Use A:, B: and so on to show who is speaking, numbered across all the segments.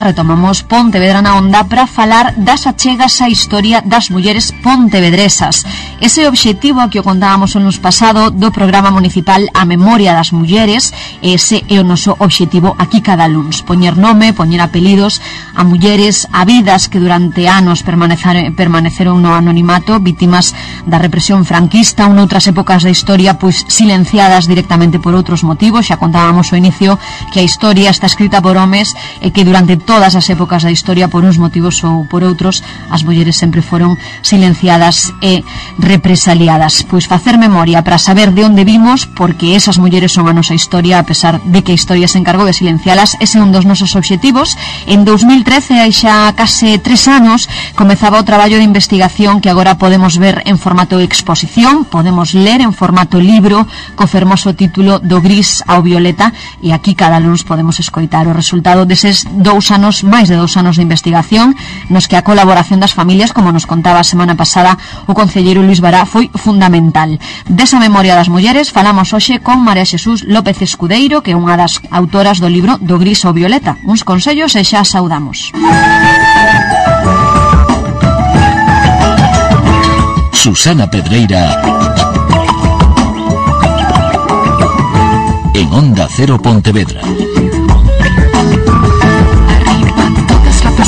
A: Retomamos Pontevedra na Onda para falar das achegas á historia das mulleres pontevedresas. Ese obxectivo que o contábamos o nos pasado do programa municipal A Memoria das Mulleres, ese é o noso obxectivo aquí cada luns. Poñer nome, poñer apelidos a mulleres, a vidas que durante anos permaneceron no anonimato, vítimas da represión franquista ou noutras épocas da historia pois silenciadas directamente por outros motivos. Xa contábamos ao inicio que a historia está escrita por homes e que durante todas as épocas da historia, por uns motivos ou por outros, as mulleres sempre foron silenciadas e represaliadas. Pois facer memoria para saber de onde vimos, porque esas mulleres son a nosa historia, a pesar de que a historia se encargou de silencialas. Ese é un dos nosos obxectivos. En 2013, hai xa case 3 anos, comezaba o traballo de investigación que agora podemos ver en formato exposición, podemos ler en formato libro, co fermoso título Do gris ao violeta, e aquí cada luns podemos escoitar o resultado deses 2 anos, máis de 2 anos de investigación, nos que a colaboración das familias, como nos contaba a semana pasada o concelleiro Luis Bará, foi fundamental. Desa memoria das mulleres falamos hoxe con María Xesús López Escudeiro, que é unha das autoras do libro Do gris ao violeta. Uns consellos e xa saudamos.
B: Susana Pedreira en Onda Cero Pontevedra.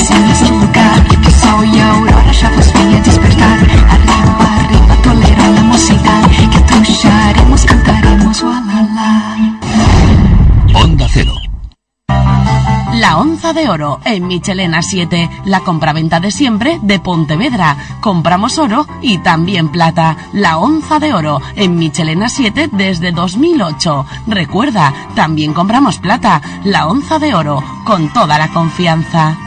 C: Del lugar, que soy aurora, ya vos voy a despertar. Arriba, arriba, tolera la música, que trucharemos, cantaremos, walala.
B: Onda Cero.
D: La Onza de Oro en Michelena 7, la compraventa de siempre de Pontevedra. Compramos oro y también plata. La Onza de Oro en Michelena 7 desde 2008. Recuerda, también compramos plata. La Onza de Oro, con toda la confianza.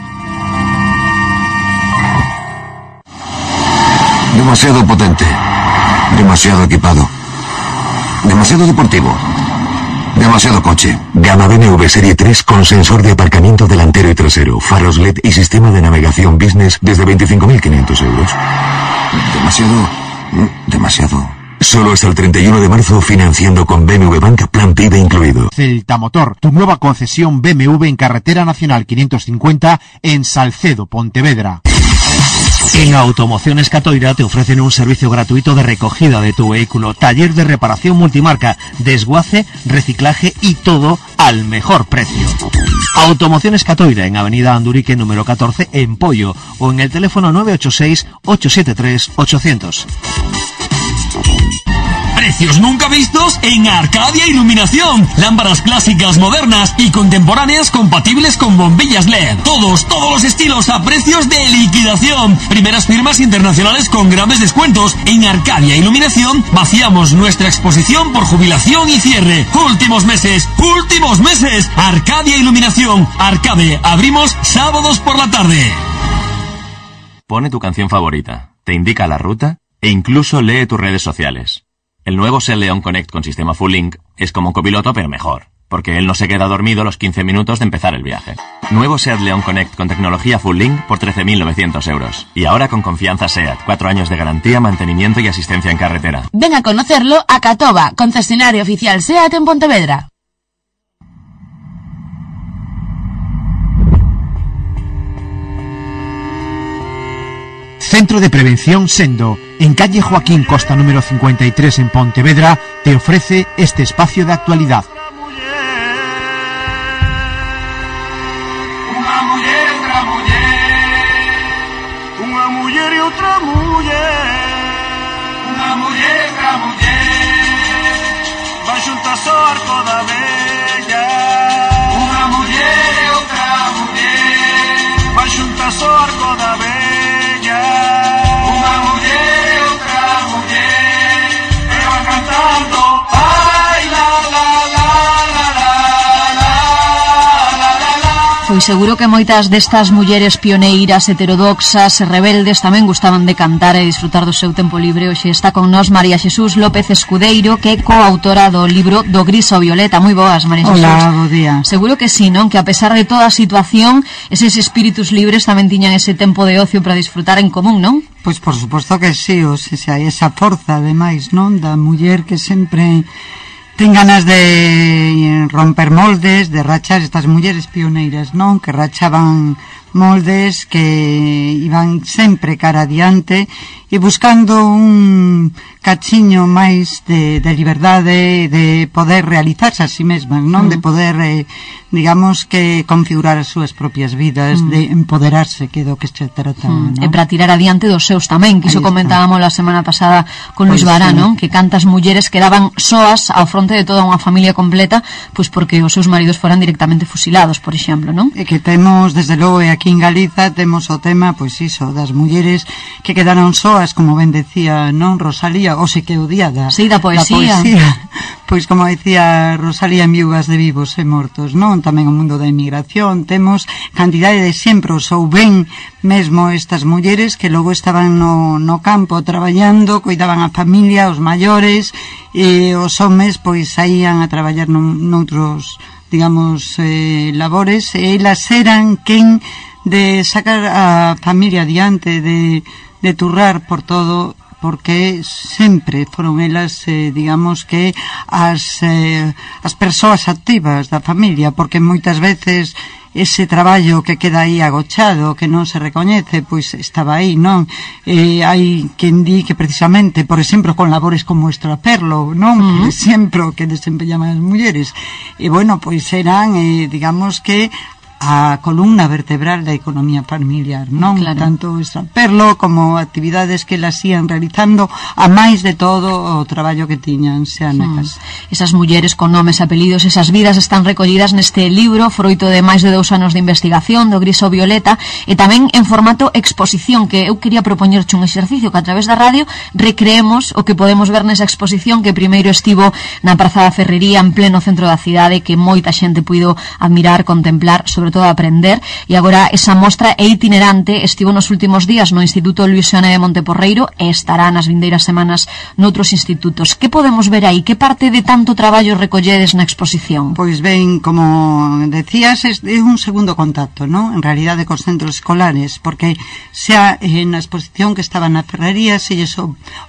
E: Demasiado potente, demasiado equipado, demasiado deportivo, demasiado coche. Gama BMW Serie 3 con sensor de aparcamiento delantero y trasero, faros LED y sistema de navegación business desde 25.500 euros. Demasiado. Solo hasta el 31 de marzo financiando con BMW Banca Plan PIB incluido.
F: Celta Motor, tu nueva concesión BMW en Carretera Nacional 550 en Salcedo, Pontevedra.
G: En Automociones Catoira te ofrecen un servicio gratuito de recogida de tu vehículo, taller de reparación multimarca, desguace, reciclaje y todo al mejor precio. Automociones Catoira en Avenida Andurique número 14 en Pollo o en el teléfono 986-873-800.
H: Precios nunca vistos en Arcadia Iluminación. Lámparas clásicas, modernas y contemporáneas compatibles con bombillas LED. Todos los estilos a precios de liquidación. Primeras firmas internacionales con grandes descuentos. En Arcadia Iluminación vaciamos nuestra exposición por jubilación y cierre. Últimos meses. Arcadia Iluminación. Arcade. Abrimos sábados por la tarde.
I: Pone tu canción favorita, te indica la ruta e incluso lee tus redes sociales. El nuevo Seat León Connect con sistema Full Link es como un copiloto pero mejor, porque él no se queda dormido los 15 minutos de empezar el viaje. Nuevo Seat León Connect con tecnología Full Link por 13.900 euros. Y ahora con confianza Seat, 4 años de garantía, mantenimiento y asistencia en carretera.
D: Ven a conocerlo a Catoba, concesionario oficial Seat en Pontevedra.
F: Centro de Prevención Sendo, en calle Joaquín Costa número 53 en Pontevedra, te ofrece este espacio de actualidad.
J: Una mujer y otra mujer, van juntas ao arco da bella. Una mujer y otra mujer, van juntas ao arco da bella.
A: Pois seguro que moitas destas mulleres pioneiras, heterodoxas e rebeldes tamén gustaban de cantar e disfrutar do seu tempo libre. Hoxe está con nós María Xesús López Escudeiro, que é coautora do libro Do gris ao violeta. Moi boas, María Xesús.
K: Hola, bo día.
A: Seguro que sí, non? Que a pesar de toda a situación, eses espíritus libres tamén tiñan ese tempo de ocio para disfrutar en común, non?
K: Pois por suposto que sí, o sea, hai esa forza, ademais, non? Da muller que sempre ten ganas de romper moldes, de rachar estas mulleres pioneiras, non? Que rachaban moldes, que iban sempre cara adiante e buscando un cachiño máis de liberdade, de poder realizarse a sí mesmas, non? De poder, digamos, que configurar as súas propias vidas, de empoderarse, que é do que se trata, non?
A: E para tirar adiante dos seus tamén, que iso comentábamos la semana pasada con Luis Bará, non? Que cantas mulleres quedaban soas ao fronte de toda unha familia completa, pois porque os seus maridos foran directamente fusilados, por exemplo, non?
K: E que temos, desde logo, aquí en Galiza temos o tema, pois iso, das mulleres que quedaron soas, como ben decía, non, Rosalía, o se que o día da
A: poesía.
K: Pois como decía Rosalía, en Viúvas de Vivos e Mortos, non? Tamén o mundo da emigración, temos cantidade de exemplos, ou ben mesmo estas mulleres que logo estaban no campo traballando, cuidaban a familia, os maiores, e os homes pois saían a traballar noutros, digamos, labores, e elas eran quen de sacar a familia adiante, de turrar por todo, porque sempre foron elas, digamos que as persoas activas da familia, porque moitas veces ese traballo que queda aí agochado, que non se recoñece, pois estaba aí, non? Hai quen di que precisamente, por exemplo, con labores como extraperlo, non? Por exemplo, que desempeñaban as mulleres, e bueno, pois eran, digamos que a columna vertebral da economía familiar, non?
A: Claro.
K: Tanto extraperlo como actividades que las ían realizando, a máis de todo o traballo que tiñan xa na casa.
A: Esas mulleres con nomes e apelidos, esas vidas están recollidas neste libro, froito de máis de 2 anos de investigación do Gris ao Violeta, e tamén en formato exposición, que eu quería propoñerche un exercicio que a través da radio recreemos o que podemos ver nesa exposición, que primeiro estivo na Praza da Ferrería, en pleno centro da cidade, que moita xente puido admirar, contemplar, sobre todo aprender, e agora esa mostra é itinerante, estivo nos últimos días no Instituto Luis Seoane de Monteporreiro e estará nas vindeiras semanas noutros institutos. Que podemos ver aí? Que parte de tanto traballo recolledes na exposición?
K: Pois ben, como decías, é un segundo contacto, non? En realidade cos centros escolares, porque xa na exposición que estaba na Ferrería se lles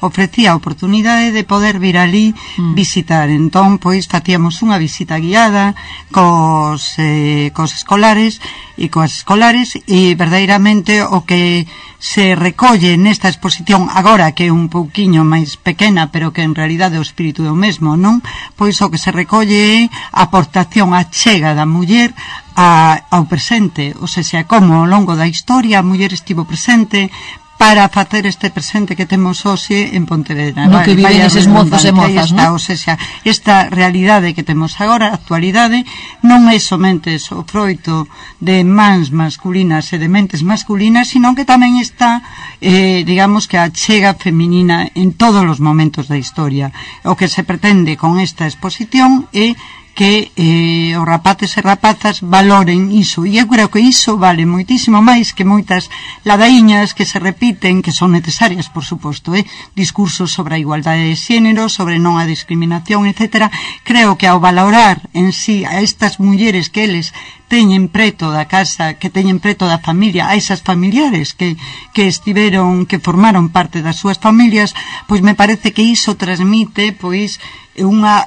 K: ofrecía a oportunidade de poder vir ali visitar. Entón, pois, facíamos unha visita guiada cos escolares e coas escolares, e verdadeiramente o que se recolle nesta exposición agora, que é un pouquiño máis pequena, pero que en realidade o espírito é o mesmo, non? Pois o que se recolle é a aportación, a chega da muller ao presente, ou seja, como ao longo da historia a muller estivo presente para facer este presente que temos hoxe en Pontevedra.
A: No que viven eses mozos e mozas, non?
K: O sea, esta realidade que temos agora, a actualidade, non é somente o froito de mans masculinas e de mentes masculinas, sino que tamén está, digamos que a chega feminina en todos os momentos da historia. O que se pretende con esta exposición é que os rapaces e rapazas valoren iso, e eu creo que iso vale moitísimo máis que moitas ladaíñas que se repiten, que son necesarias, por suposto, discursos sobre a igualdade de xénero, sobre non a discriminación, etc. Creo que ao valorar en sí a estas mulleres que eles teñen preto da casa, que teñen preto da familia, a esas familiares que estiveron, que formaron parte das súas familias, pois me parece que iso transmite, pois, unha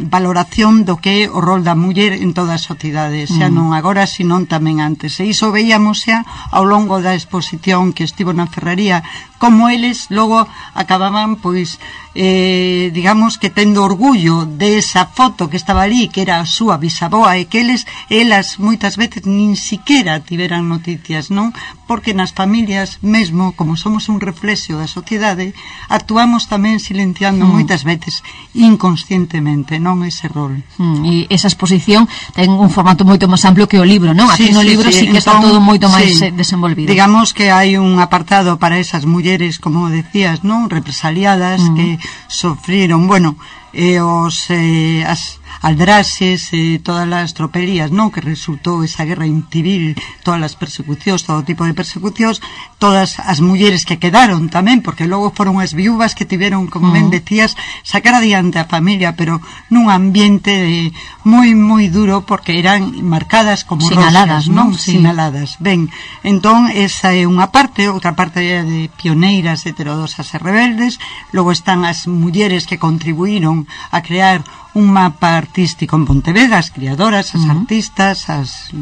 K: valoración do que é o rol da muller en toda a sociedade, xa non agora, senón tamén antes. E iso veíamos xa ao longo da exposición que estivo na Ferrería, como eles logo acababan, pois, digamos que tendo orgullo de esa foto que estaba ali, que era a súa bisaboa, e que elas moitas veces nin siquiera tiveran noticias, non? Porque nas familias mesmo, como somos un reflexo da sociedade, actuamos tamén silenciando moitas veces inconscientemente, non, ese rol.
A: E esa exposición ten un formato moito máis amplio que o libro, non? Aquí no libro sí que está todo moito máis desenvolvido.
K: Digamos que hai un apartado para esas mulleres, como decías, non? Represaliadas, que sofriron, bueno, as aldraxes, todas as tropelías, non, que resultou esa guerra civil, todas as persecucións, todo tipo de persecucións, todas as mulleres que quedaron tamén, porque logo foron as viúvas que tiveron, como ben decías, sacar adiante a familia, pero nun ambiente moi, moi duro, porque eran marcadas como
A: sinaladas,
K: rosas, non? Sinaladas. Ben, entón, esa é unha parte, outra parte de pioneiras heterodosas e rebeldes, logo están as mulleres que contribuíron empezaron a crear un mapa artístico en Pontevedra, as criadoras, as artistas, as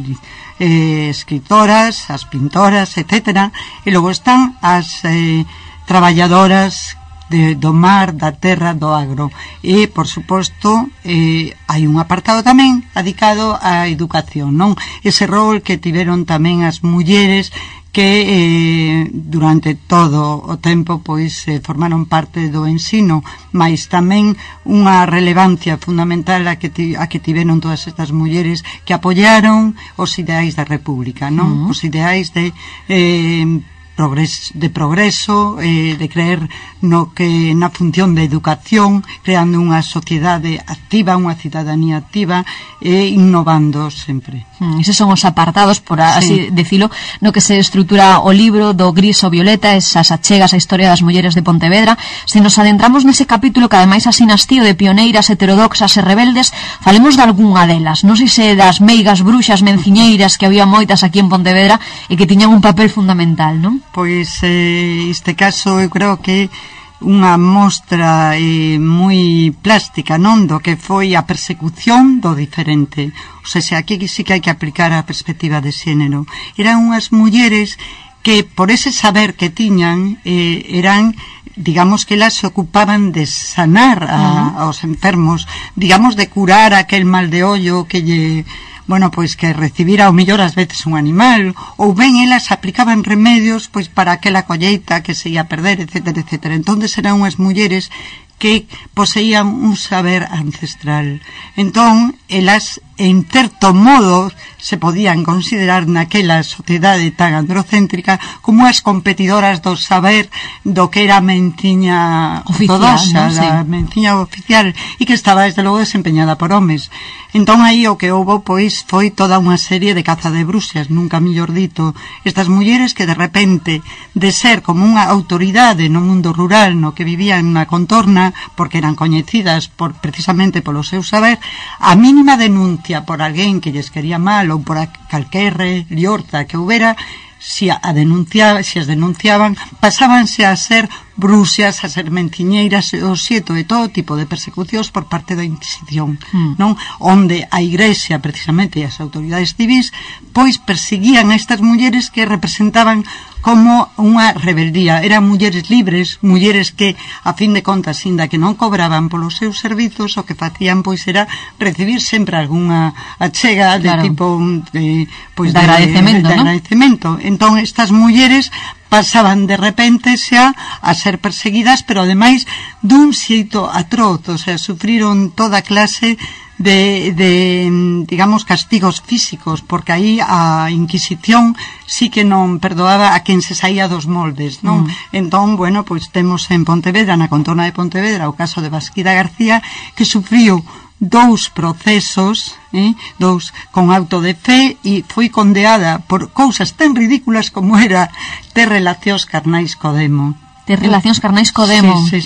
K: escritoras, as pintoras, etcétera, e logo están as traballadoras do mar, da terra, do agro. E, por suposto, hai un apartado tamén dedicado á educación, non? Ese rol que tiveron tamén as mulleres que durante todo o tempo pois formaron parte do ensino, mas tamén unha relevancia fundamental a que tiveron todas estas mulleres que apoiaron os ideais da República, non? Os ideais de progreso, de creer no que na función de educación, creando unha sociedade activa, unha cidadanía activa e innovando sempre.
A: Eses son os apartados, por así decilo, no que se estrutura o libro do gris ao violeta, esas achegas á historia das mulleres de Pontevedra. Se nos adentramos nese capítulo que ademais asinas tío de pioneiras heterodoxas e rebeldes, falemos de algunha delas, non sei se das meigas bruxas menciñeiras que había moitas aquí en Pontevedra e que tiñan un papel fundamental, non?
K: Pois este caso eu creo que unha mostra moi plástica, non, do que foi a persecución do diferente. O sea, aquí sí que hai que aplicar a perspectiva de xénero. Eran unhas mulleres que por ese saber que tiñan eran, digamos, que elas se ocupaban de sanar aos enfermos, digamos, de curar aquel mal de ollo que lle... bueno, pois que recibira ao mellor ás veces un animal, ou ben elas aplicaban remedios pois para aquela colleita que se ia perder, etcétera, etcétera. Entonces eran unhas mulleres que poseían un saber ancestral. Entón, elas, en certo modo, se podían considerar naquela sociedade tan androcéntrica como as competidoras do saber do que era a menciña ortodoxa, a menciña oficial, e que estaba, desde logo, desempeñada por homes. Entón, aí o que houbo, pois, foi toda unha serie de caza de bruxas, nunca mellor dito. Estas mulleres que, de repente, de ser como unha autoridade no mundo rural, no que vivían na contorna, porque eran coñecidas precisamente polo seu saber, a mínima denuncia por alguén que lles quería mal ou por calquer liorta que houbera, se as denunciaban, pasábanse a ser bruxas, a ser menciñeiras, o xeito de todo tipo de persecucións por parte da Inquisición, non? Onde a Igrexa, precisamente, e as autoridades civis, pois perseguían a estas mulleres que representaban como unha rebeldía. Eran mulleres libres, mulleres que, a fin de contas, inda que non cobraban polos seus servizos, o que facían, pois, era recibir sempre algunha achega de tipo de agradecemento. Entón, estas mulleres pasaban de repente xa a ser perseguidas, pero ademais dun xeito atroz, o sea, sufriron toda clase de digamos, castigos físicos, porque aí a Inquisición sí que non perdoaba a quen se saía dos moldes, non? Entón, bueno, pois temos en Pontevedra, na contorna de Pontevedra, o caso de Basquida García, que sufriu 2 procesos, dous con auto de fe, e foi condeada por cousas tan ridículas como era ter relacións carnais co demo.
A: Ter relacións carnais co demo.
K: Sí.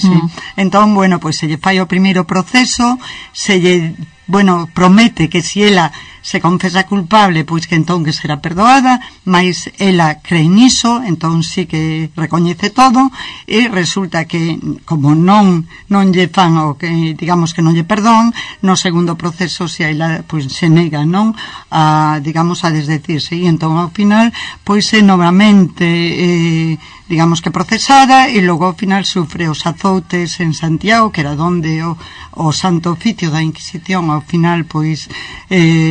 K: Entón, bueno, pois se lle fai o primeiro proceso, se lle, bueno, promete que se ela se confesa culpable, pois que entón que será perdoada, mas ela cree niso, entón sí que recoñece todo, e resulta que, como non lle fan o que, digamos, que non lle perdón, no segundo proceso se ela, pois, se nega, non, a, digamos, a desdecirse, e entón ao final, pois, é novamente digamos que procesada, e logo ao final sufre os azoutes en Santiago, que era donde o Santo Oficio da Inquisición ao final, pois,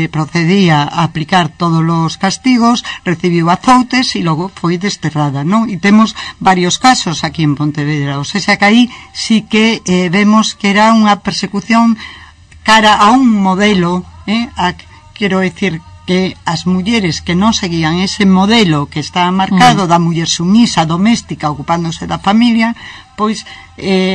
K: procedía a aplicar todos os castigos, recibiu azoutes e logo foi desterrada, non? E temos varios casos aquí en Pontevedra, o sea que aí sí que vemos que era unha persecución cara a un modelo, quero decir que as mulleres que non seguían ese modelo que está marcado da muller sumisa, doméstica, ocupándose da familia, pois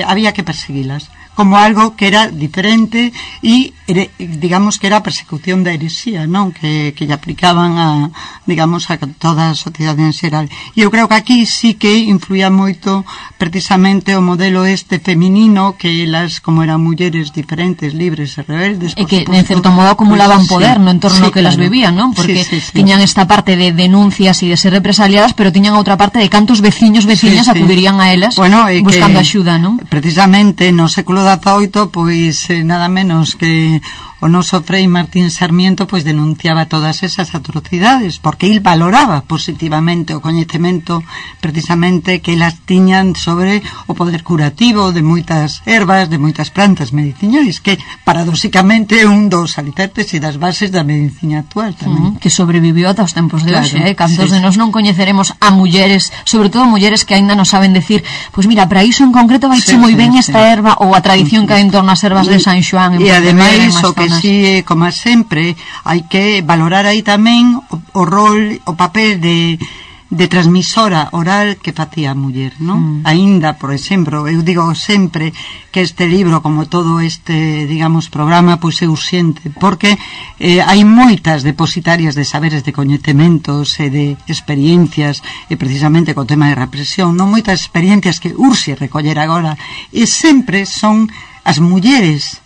K: había que perseguilas como algo que era diferente e, digamos, que era a persecución da heresía, non? Que lle aplicaban a, digamos, a toda a sociedade en xeral. E eu creo que aquí sí que influía moito precisamente o modelo este feminino, que elas, como eran mulleres diferentes, libres e rebeldes,
A: e que, en certo modo, acumulaban poder no entorno que las vivían, non? Porque tiñan esta parte de denuncias e de ser represaliadas, pero tiñan outra parte de cantos veciñas acudirían a elas buscando axuda, non?
K: Precisamente no século XVIII, pois nada menos que o noso Frei Martín Sarmiento pois denunciaba todas esas atrocidades, porque il valoraba positivamente o coñecemento precisamente que elas tiñan sobre o poder curativo de moitas ervas, de moitas plantas medicinais, que paradóxicamente é un dos alicerces e das bases da medicina actual tamén.
A: Que sobreviviu ata os tempos de hoxe, cantos
K: sí,
A: de nós non coñeceremos a mulleres, sobre todo mulleres que aínda non saben decir, pois mira, para iso en concreto vai che moi ben esta erva, ou a tradición que hai en torno ás ervas de San Xoán.
K: E ademais o que si, como sempre, hai que valorar aí tamén o rol, o papel de transmisora oral que facía a muller, non? Aínda, por exemplo, eu digo sempre que este libro, como todo este, digamos, programa, pois é urxente, porque hai moitas depositarias de saberes, de coñecementos e de experiencias, e precisamente co tema de represión, non, moitas experiencias que urxe recoller agora, e sempre son as mulleres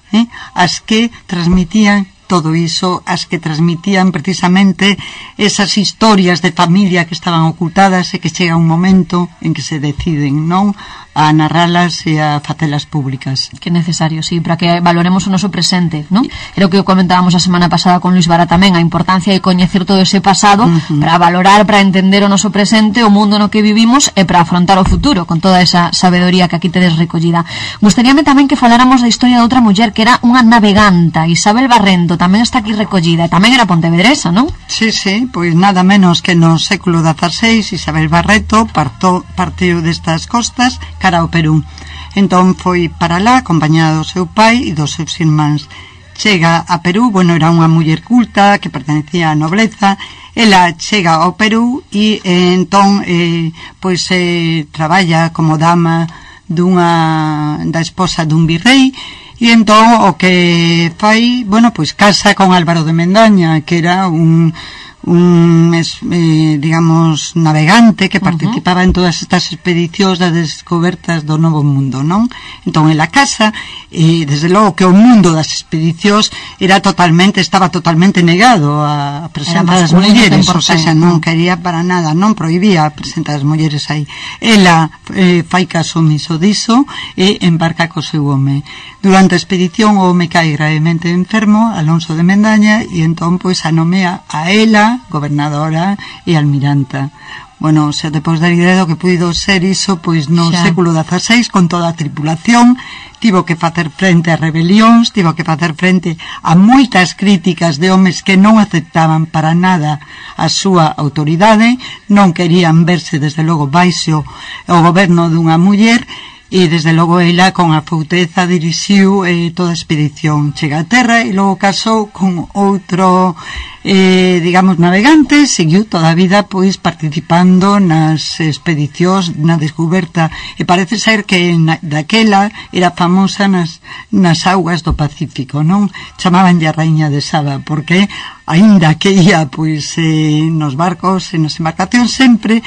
K: as que transmitían todo iso, as que transmitían precisamente esas historias de familia que estaban ocultadas e que chega un momento en que se deciden, non, a narralas e a facelas públicas.
A: Que necesario, sí, para que valoremos o noso presente, non? Era o que comentábamos a semana pasada con Luis Vara tamén, a importancia de coñecer todo ese pasado para valorar, para entender o noso presente, o mundo no que vivimos e para afrontar o futuro con toda esa sabedoría que aquí tedes recollida. Gustaríame tamén que faláramos da historia de outra muller que era unha naveganta, Isabel Barrento, tamén está aquí recollida, e tamén era pontevedresa, non?
K: Sí, pois nada menos que no século XVI Isabel Barreto partiu destas costas cara ao Perú. Entón foi para lá acompañada do seu pai e dos seus irmáns. Chega a Perú, bueno, era unha muller culta que pertenecía á nobleza. Ela chega ao Perú e entón pois traballa como dama da esposa dun virrei. E entón o que fai, bueno, pois casa con Álvaro de Mendaña, que era un digamos, navegante que participaba en todas estas expedicións das descobertas do Novo Mundo, non? Entón, en la casa, desde logo que o mundo das expedicións estaba totalmente negado a presentar as mulleres, ou seja, non quería para nada, non prohibía presentar as mulleres aí. Ela fai caso omiso diso e embarca co seu home. Durante a expedición o home cae gravemente enfermo, Alonso de Mendaña, e entón pois a nomea a ela gobernadora e almiranta. Bueno, xa depois da idea do que puido ser iso, pois no século XVI, con toda a tripulación, tivo que facer frente a rebelións, tivo que facer frente a moitas críticas de homes que non aceptaban para nada a súa autoridade, non querían verse desde logo baixo o goberno dunha muller, e desde logo ela con a fouteza dirixiu toda a expedición. Chega a terra e logo casou con outro digamos navegante, seguiu toda a vida pois participando nas expedicións, na descoberta, e parece ser que daquela era famosa nas augas do Pacífico, non? Chamabanlle a Raíña de Saba, porque aínda que ia pois nos barcos e nas embarcacións sempre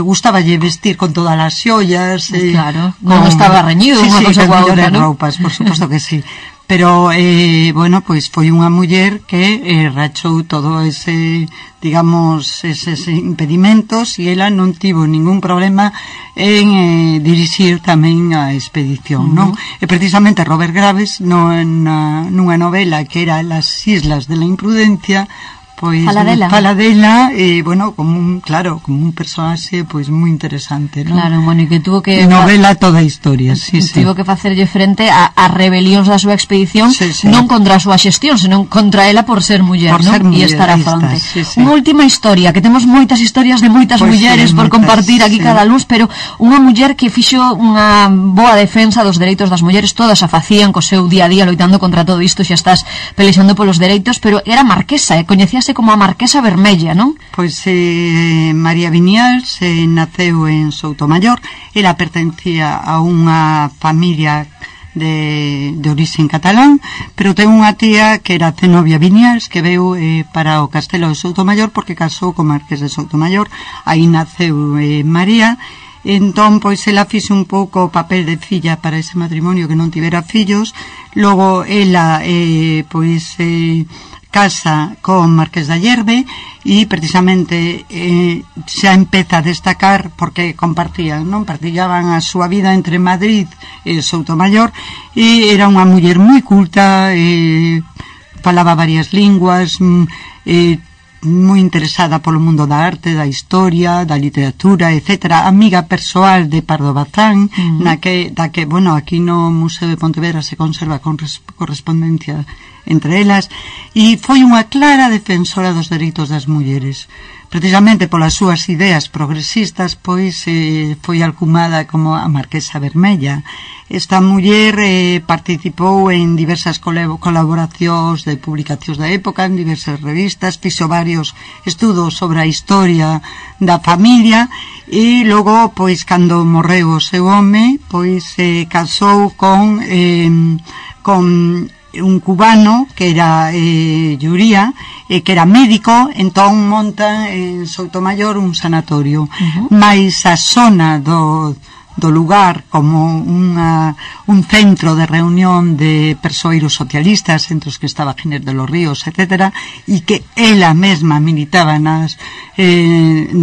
K: gustaballe vestir con todas as xollas,
A: claro, non estaba reñido unha cosa coa outra, non?
K: Roupas, por suposto que sí. Pero, bueno, pois foi unha muller que rachou todo ese, digamos, eses impedimentos, e ela non tivo ningún problema en dirixir tamén a expedición, non? E precisamente Robert Graves, nunha novela que era Las Islas de la Imprudencia, pois fala dela e, bueno, como un personaxe pois moi interesante, non?
A: Claro, bueno, e que tuvo que
K: novela toda a historia,
A: tivo que facerlle frente a rebelións da súa expedición, non contra a súa xestión, senón contra ela por ser muller, non? E estar a fronte. Unha última historia, que temos moitas historias de moitas mulleres por compartir aquí cada luz, pero unha muller que fixo unha boa defensa dos dereitos das mulleres, todas a facían co seu día a día loitando contra todo isto, xa estás pelexando polos dereitos, pero era marquesa, coñecías como a Marquesa Vermella, non?
K: Pois María Viñals naceu en Soutomayor. Ela pertencía a unha familia de origen catalán, pero ten unha tía que era Zenobia Viñals, que veu para o castelo de Soutomayor porque casou co Marqués de Soutomayor. Aí naceu María. Entón, pois, ela fixe un pouco o papel de filla para ese matrimonio que non tivera fillos. Logo, ela, casa con Marqués da Llerbe e precisamente xa empeza a destacar porque compartían, non? Partillaban a súa vida entre Madrid e Soutomaior e era unha muller moi culta, falaba varias linguas, moi interesada polo mundo da arte, da historia, da literatura, etcétera, amiga persoal de Pardo Bazán, da que, bueno, aquí no Museo de Pontevedra se conserva correspondencia entre elas, e foi unha clara defensora dos dereitos das mulleres. Precisamente polas súas ideas progresistas, pois foi alcumada como a Marquesa Vermella. Esta muller participou en diversas colaboracións de publicacións da época, en diversas revistas, fixo varios estudos sobre a historia da familia e logo, pois, cando morreu o seu home, pois casou con un cubano que era Lluría, que era médico, entón monta en Soutomaior un sanatorio, mais a zona do lugar como un centro de reunión de persoeiros socialistas, entre os que estaba Ginés de los Ríos, etcétera, e que ela mesma militaba na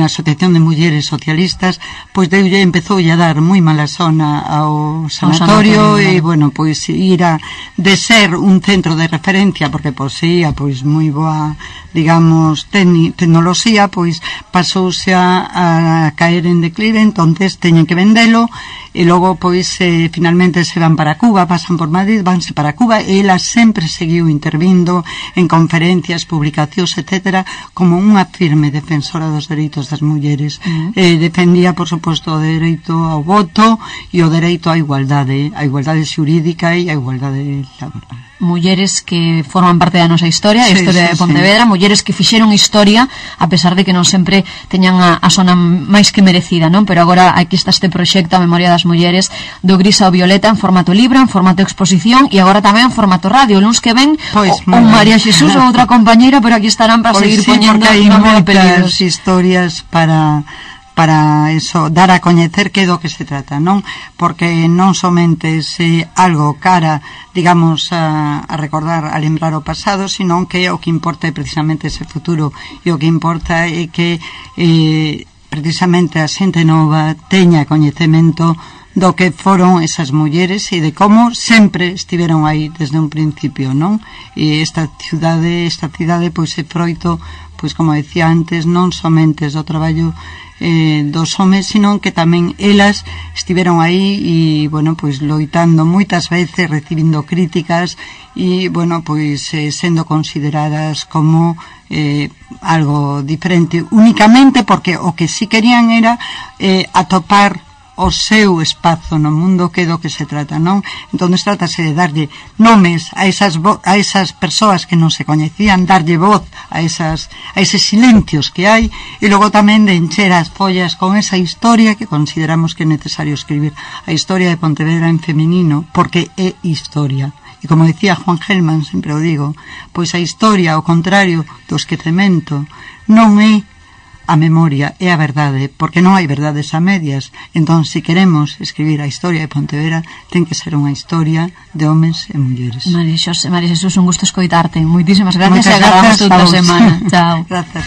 K: Asociación de Mulleres Socialistas, pois empezou a dar moi mala zona ao sanatorio e, bueno, pois ira de ser un centro de referencia porque poseía pois moi boa, digamos, tecnoloxía, pois pasouse a caer en declive, entonces teñen que vendelo e logo pois finalmente se van para Cuba, pasan por Madrid, vanse para Cuba e ela sempre seguiu intervindo en conferencias, publicacións, etcétera, como unha firme defensora dos dereitos das mulleres. Defendía, por suposto, o dereito ao voto e o dereito á igualdade xurídica e a igualdade laboral.
A: Mulleres que forman parte da nosa historia, a historia de Pontevedra, mulleres que fixeron historia, a pesar de que non sempre teñan a zona máis que merecida, non? Pero agora aquí está este proxecto a memoria das mulleres do gris ao violeta en formato libro, en formato exposición e agora tamén en formato radio. Luns que ven, un María Xesús ou outra compañeira, pero aquí estarán para seguir poñendo nome e apelidos.
K: Historias para eso, dar a coñecer que é do que se trata, non? Porque non somente se algo cara, digamos, a recordar, a lembrar o pasado, sino que o que importa é precisamente ese futuro, e o que importa é que precisamente a xente nova teña coñecemento do que foron esas mulleres e de como sempre estiveron aí desde un principio, non? E esta cidade pois é froito, pois como decía antes, non somente do traballo dos homes, sino que tamén elas estiveron aí e, bueno, pois loitando moitas veces, recibindo críticas e, bueno, pois sendo consideradas como algo diferente, únicamente porque o que sí querían era atopar o seu espazo no mundo, que é do que se trata, non? Entón trátase de darlle nomes a esas persoas que non se coñecían, darlle voz a eses silencios que hai e logo tamén de encher as follas con esa historia que consideramos que é necesario escribir, a historia de Pontevedra en feminino, porque é historia. E como decía Juan Gelman, sempre o digo, pois a historia, ao contrario do esquecemento, non é a memoria, é a verdade, porque non hai verdades a medias. Entón, se queremos escribir a historia de Pontevedra, ten que ser unha historia de homes e mulleres.
A: María Xesús, un gusto escoitarte. Moitísimas gracias e agardamos outra semana. Chao.
K: Gracias.